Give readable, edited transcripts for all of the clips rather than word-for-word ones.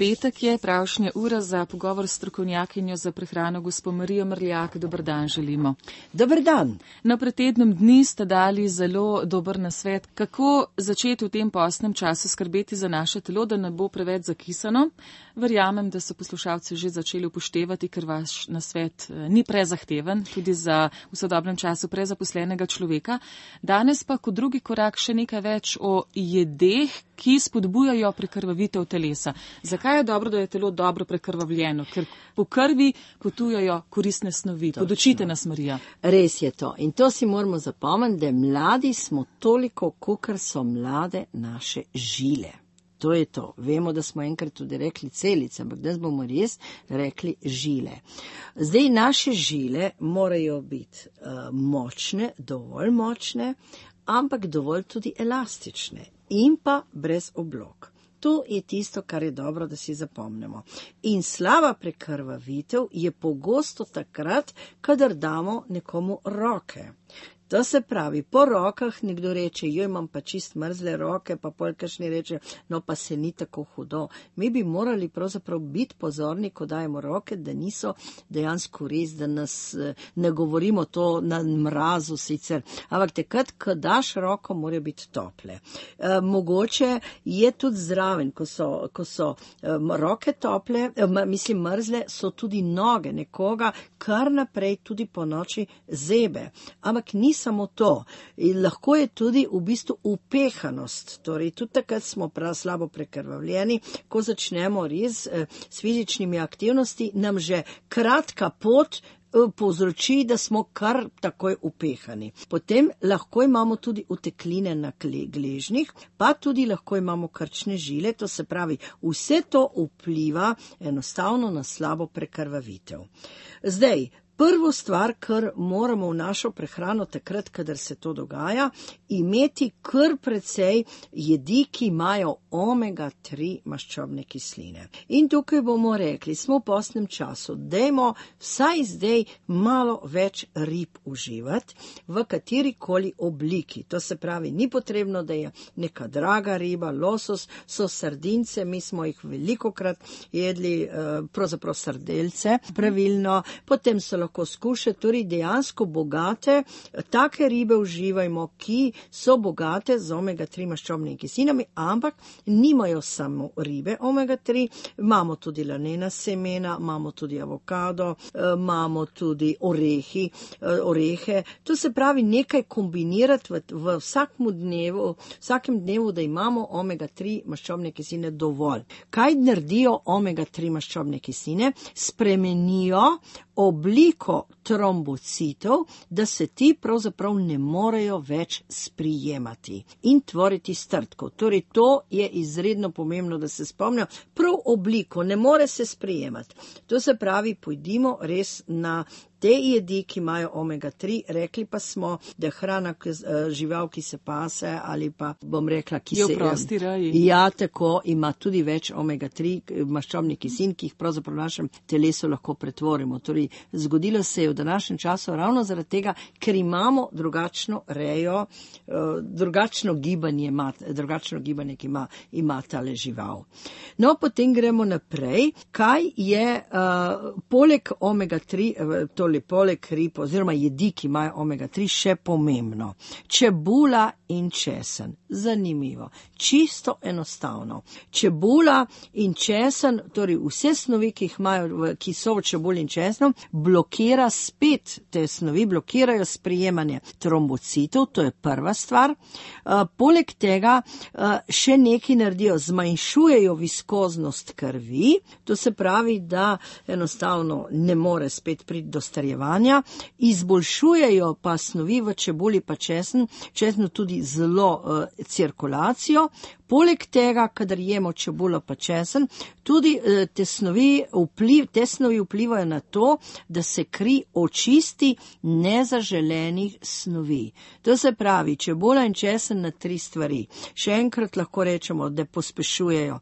Petek je pravšnja ura za pogovor s strokovnjakinjo za prehrano gospo Marijo Mrljak. Dober dan želimo. Dober dan. No, pred tednom dni ste dali zelo dober nasvet, kako začeti v tem postnem času skrbeti za naše telo, da ne bo preveč zakisano. Verjamem, da so poslušalci že začeli upoštevati, ker vaš nasvet ni prezahteven, tudi za v sodobnem času prezaposlenega človeka. Danes pa kot drugi korak še nekaj več o jedeh, ki spodbujajo prekrvavitev telesa. Zakaj je dobro, da je telo dobro prekrvavljeno? Ker po krvi potujajo koristne snovi. Podučite nas, Marija. Res je to. In to si moramo zapomniti, da mladi smo toliko, kolikor so mlade naše žile. To je to. Vemo, da smo enkrat tudi rekli celice, ampak danes bomo res rekli žile. Zdaj, naše žile morajo biti močne, dovolj močne, ampak dovolj tudi elastične in pa brez oblog. To je tisto, kar je dobro, da si zapomnimo. In slaba prekrvavitev je pogosto takrat, kadar damo nekomu roke. To se pravi, po rokah nekdo reče, joj, imam pa čist mrzle roke, pa polkašni reče, no pa se ni tako hudo. Mi bi morali pravzaprav biti pozorni, ko dajemo roke, da niso dejansko res, da nas ne govorimo to na mrazu sicer, ampak takrat, ko daš roko, morajo biti tople. Mogoče je tudi zraven, ko so roke tople, mrzle, so tudi noge nekoga, kar naprej tudi po noči zebe. Ampak ni samo to. In lahko je tudi v bistvu upehanost. Torej, tudi takrat smo prav slabo prekrvavljeni, ko začnemo res s fizičnimi aktivnosti, nam že kratka pot povzroči, da smo kar takoj upehani. Potem lahko imamo tudi utekline na gležnjih, pa tudi lahko imamo krčne žile, to se pravi, vse to vpliva enostavno na slabo prekrvavitev. Zdaj, prvo stvar, kar moramo v našo prehrano takrat, kadar se to dogaja, imeti kar precej jedi, ki imajo omega-3 maščobne kisline. In tukaj bomo rekli, smo v postnem času, dajmo vsaj zdaj malo več rib uživati, v katerikoli obliki. To se pravi, ni potrebno, da je neka draga riba, losos, so sardince, mi smo jih velikokrat jedli, pravzaprav sardelce, pravilno, potem so lahko skuše, torej dejansko bogate, take ribe uživajmo, ki so bogate z omega-3 maščobnimi kislinami, ampak nimajo samo ribe omega-3, imamo tudi lanena semena, imamo tudi avokado, imamo tudi orehe, to se pravi nekaj kombinirati v vsakem dnevu, da imamo omega-3 maščobne kisline dovolj. Kaj naredijo omega-3 maščobne kisline? Spremenijo obliko trombocitov, da se ti pravzaprav ne morejo več sprijemati in tvoriti strdkov. Torej, to je izredno pomembno, da se spomnijo. Prav obliko ne more se sprijemati. To se pravi, pojdimo res na te jedi, ki imajo omega-3, rekli pa smo, da hrana žival, ki se pase ali pa, bom rekla, ki se... Je v prosti reji. Ja, tako, ima tudi več omega-3 maščobnih kislin, ki jih pravzaprav v našem telesu lahko pretvorimo. Torej, zgodilo se je v današnjem času ravno zaradi tega, ker imamo drugačno rejo, drugačno gibanje, ki ima tale žival. No, potem gremo naprej. Kaj je poleg omega-3, poleg rib oziroma jedi, ki imajo omega-3, še pomembno? Čebula in česen. Zanimivo. Čisto enostavno. Čebula in česen, torej vse snovi, ki so v čebuli in česnu, blokira spet te snovi, blokirajo sprijemanje trombocitov, to je prva stvar. Poleg tega še nekaj naredijo, zmanjšujejo viskoznost krvi, to se pravi, da enostavno ne more spet priti do starjevanja, izboljšujejo pa snovi v čebuli pa česnu tudi zelo cirkulacijo. Poleg tega, kadar jemo čebulo pa česen, tudi te snovi vplivajo na to, da se kri očisti nezaželenih snovi. To se pravi, čebula in česen na 3 stvari. Še enkrat lahko rečemo, da pospešujejo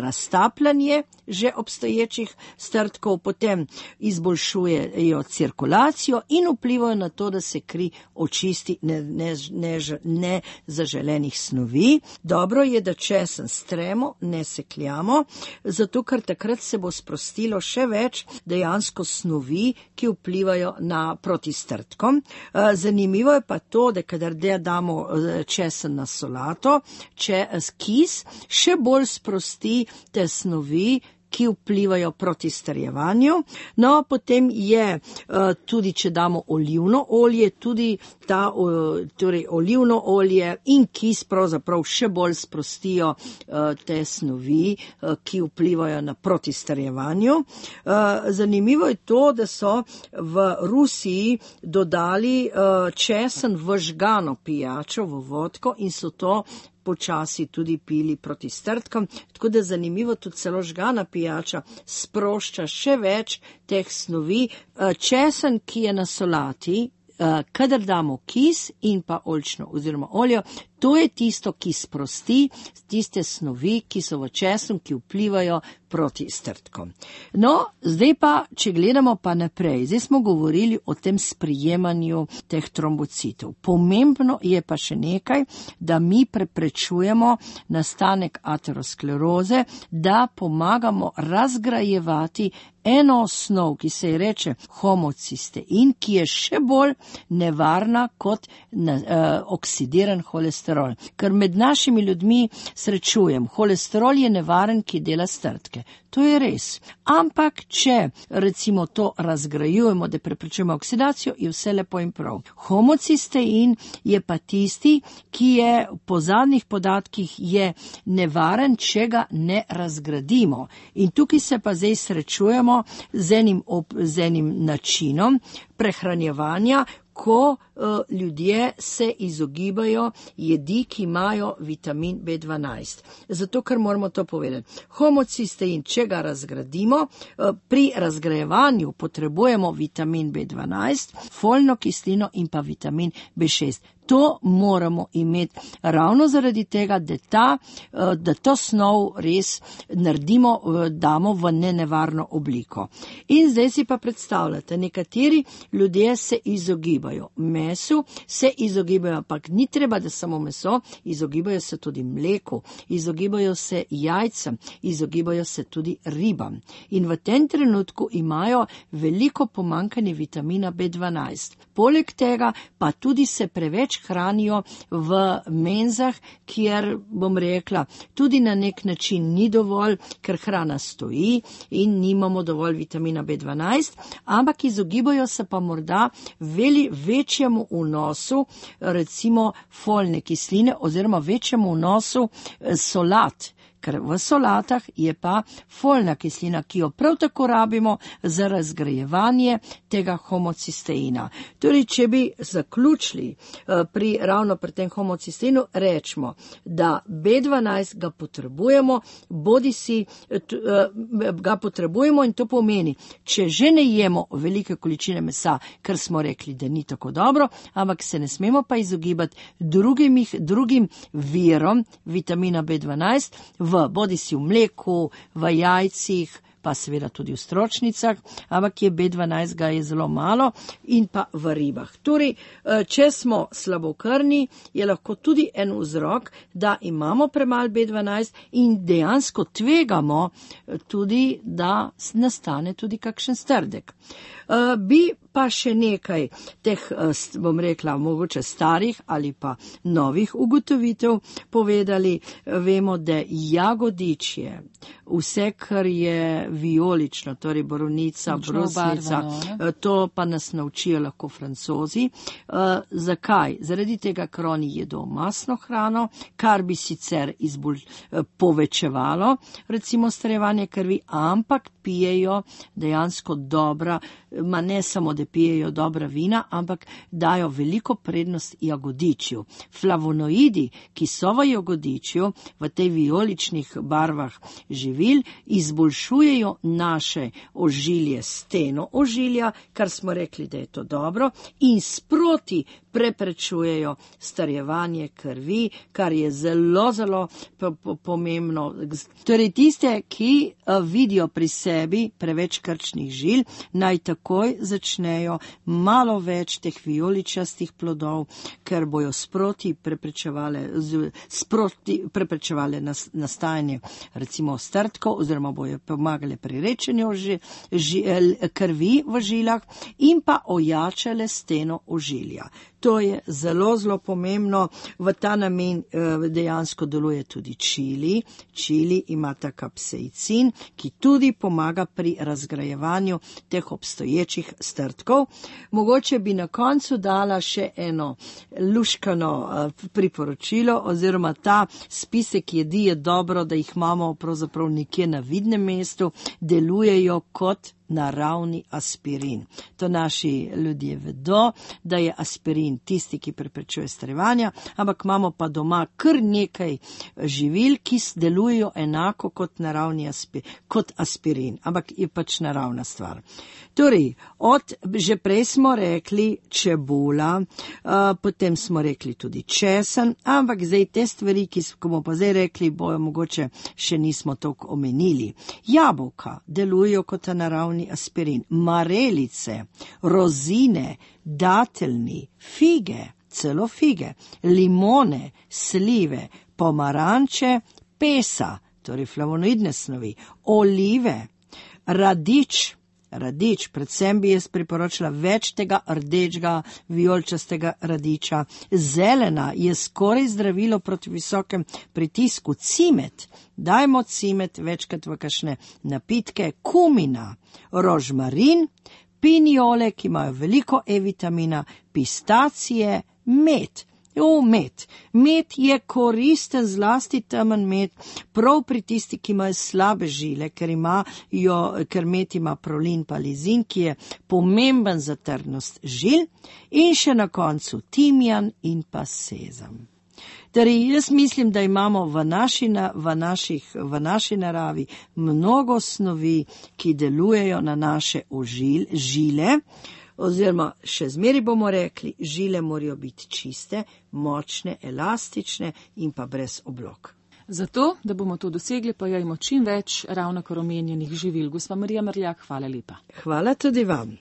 raztapljanje že obstoječih strdkov, potem izboljšujejo cirkulacijo in vplivajo na to, da se kri očisti nezaželenih snovi. Dobro je, da česen stremo, ne sekljamo, zato ker takrat se bo sprostilo še več dejansko snovi, ki vplivajo na protistrtkom. Zanimivo je pa to, da kadar damo česen na solato, kis še bolj sprosti te snovi, ki vplivajo proti strjevanju. No, potem je tudi, če damo olivno olje, tudi torej olivno olje in kis pravzaprav še bolj sprostijo te snovi, ki vplivajo na proti strjevanju. Zanimivo je to, da so v Rusiji dodali česen v žgano pijačo, v vodko in so to počasi tudi pili proti strtkam, tako da zanimivo, tudi celo žgana pijača sprošča še več teh snovi. Česen, ki je na solati, kadar damo kis in pa oljčno oziroma olje, to je tisto, ki sprosti tiste snovi, ki so v česnu, ki vplivajo proti strtkom. No, zdaj pa, če gledamo pa naprej, zdaj smo govorili o tem sprijemanju teh trombocitov. Pomembno je pa še nekaj, da mi preprečujemo nastanek ateroskleroze, da pomagamo razgrajevati eno osnov, ki se ji reče homocistein, ki je še bolj nevarna kot oksidiran holesterol. Ker med našimi ljudmi srečujem, holesterol je nevaren, ki dela strtke. To je res. Ampak, če recimo to razgrajujemo, da preprečujemo oksidacijo, je vse lepo in prav. Homocistein je pa tisti, ki je po zadnjih podatkih je nevaren, če ga ne razgradimo. In tukaj se pa zdaj srečujemo z enim načinom prehranjevanja, ko ljudje se izogibajo jedi, ki imajo vitamin B12. Zato, ker moramo to povedati. Homocistein, če ga razgradimo, pri razgrajevanju potrebujemo vitamin B12, folno kislino in pa vitamin B6. To moramo imeti ravno zaradi tega, da to snov res naredimo, damo v nenevarno obliko. In zdaj si pa predstavljate, nekateri ljudje se izogibajo mesu, se izogibajo, ampak ni treba, da samo meso, izogibajo se tudi mleku, izogibajo se jajcem, izogibajo se tudi ribam. In v tem trenutku imajo veliko pomanjkanje vitamina B12. Poleg tega pa tudi se preveč hranijo v menzah, kjer, bom rekla, tudi na nek način ni dovolj, ker hrana stoji in nimamo dovolj vitamina B12, ampak izogibajo se pa morda večjemu vnosu, recimo folne kisline oziroma večjemu vnosu solat. Ker v solatah je pa folna kislina, ki jo prav tako rabimo za razgrajevanje tega homocisteina. Torej, če bi zaključili ravno pri tem homocisteinu, rečemo, da B12 ga potrebujemo, ga potrebujemo in to pomeni, če že ne jemo velike količine mesa, ker smo rekli, da ni tako dobro, ampak se ne smemo pa izogibati drugim virom vitamina B12, bodisi v mleku, v jajcih, pa seveda tudi v stročnicah, ampak je B12 ga je zelo malo in pa v ribah. Torej, če smo slabokrvni, je lahko tudi en vzrok, da imamo premalo B12 in dejansko tvegamo tudi, da nastane tudi kakšen strdek. Bi pa še nekaj teh, bom rekla, mogoče starih ali pa novih ugotovitev povedali. Vemo, da jagodičje, vse, kar je vijolično, torej borovnica, brusnica, to pa nas naučijo lahko Francozi. Zakaj? Zaradi tega, ker oni jedo masno hrano, kar bi sicer povečevalo, recimo, strjevanje krvi, ampak pijejo dejansko dobra, ne samo, da pijejo dobra vina, ampak dajo veliko prednost jagodičju. Flavonoidi, ki so v jagodičju, v tej vijoličnih barvah živil, izboljšujejo naše ožilje, steno ožilja, kar smo rekli, da je to dobro, in sproti preprečujejo starjevanje krvi, kar je zelo, zelo pomembno. Torej tiste, ki vidijo pri sebi preveč krčnih žil, naj takoj začnejo malo več teh vijoličastih plodov, ker bojo sproti preprečevale nastajanje recimo strdkov oziroma bojo pomagale pri rečenju krvi v žilah in pa ojačale steno ožilja. To je zelo, zelo pomembno. V ta namen dejansko deluje tudi čili. Čili ima ta kapsaicin, ki tudi pomaga pri razgrajevanju teh obstoječih strdkov. Mogoče bi na koncu dala še eno luškano priporočilo oziroma ta spisek jedi je dobro, da jih imamo pravzaprav nekje na vidnem mestu, delujejo kot naravni aspirin. To naši ljudje vedo, da je aspirin tisti, ki preprečuje starevanja, ampak imamo pa doma kar nekaj živil, ki delujejo enako kot naravni kot aspirin, ampak je pač naravna stvar. Torej, že prej smo rekli čebula, potem smo rekli tudi česen, ampak zdaj te stvari, ki smo pa zdaj rekli, bojo mogoče še nismo toliko omenili. Jabolka delujejo kot naravni aspirin, marelice, rozine, dateljni, fige, celo fige, limone, slive, pomaranče, pesa, torej flavonoidne snovi, olive, radič, predvsem bi jaz priporočila več tega rdečega, vijoličastega radiča. Zelena je skoraj zdravilo proti visokem pritisku. Cimet, dajmo cimet večkrat v kakšne napitke. Kumina, rožmarin, pinjole, ki imajo veliko E-vitamina, pistacije, med. Med. Med je koristen, zlasti temen med, prav pri tisti, ki imajo slabe žile, ker med ima prolin pa lizin, ki je pomemben za trdnost žil, in še na koncu timjan in pa sezam. Torej, jaz mislim, da imamo v naši naravi mnogo snovi, ki delujejo na naše žile, oziroma še zmeri bomo rekli, žile morajo biti čiste, močne, elastične in pa brez oblog. Zato, da bomo to dosegli, pa jajmo čim več ravnokar omenjenih živil. Gospa Marija Mrljak, hvala lepa. Hvala tudi vam.